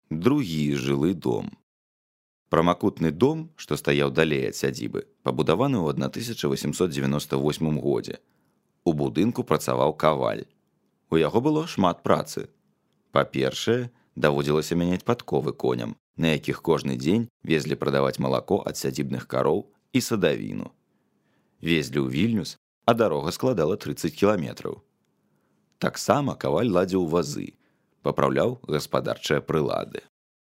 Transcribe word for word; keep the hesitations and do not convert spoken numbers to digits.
Другі жылы дом. Прамакутны дом, што стаяў далей ад сядзібы, пабудаваны ў тысяча васемсот дзевяноста восьмым годзе. У будынку працаваў каваль. У яго было шмат працы. Па-першае, даводзілася мяняць падковы коням, на якіх кожны дзень везлі прадаваць малако ад сядзібных кароў і садавіну. Везлі ў Вільнюс, а дарога складала трыццаць кіламетраў. Таксама каваль ладзіў вазы, папраўляў гаспадарчыя прылады.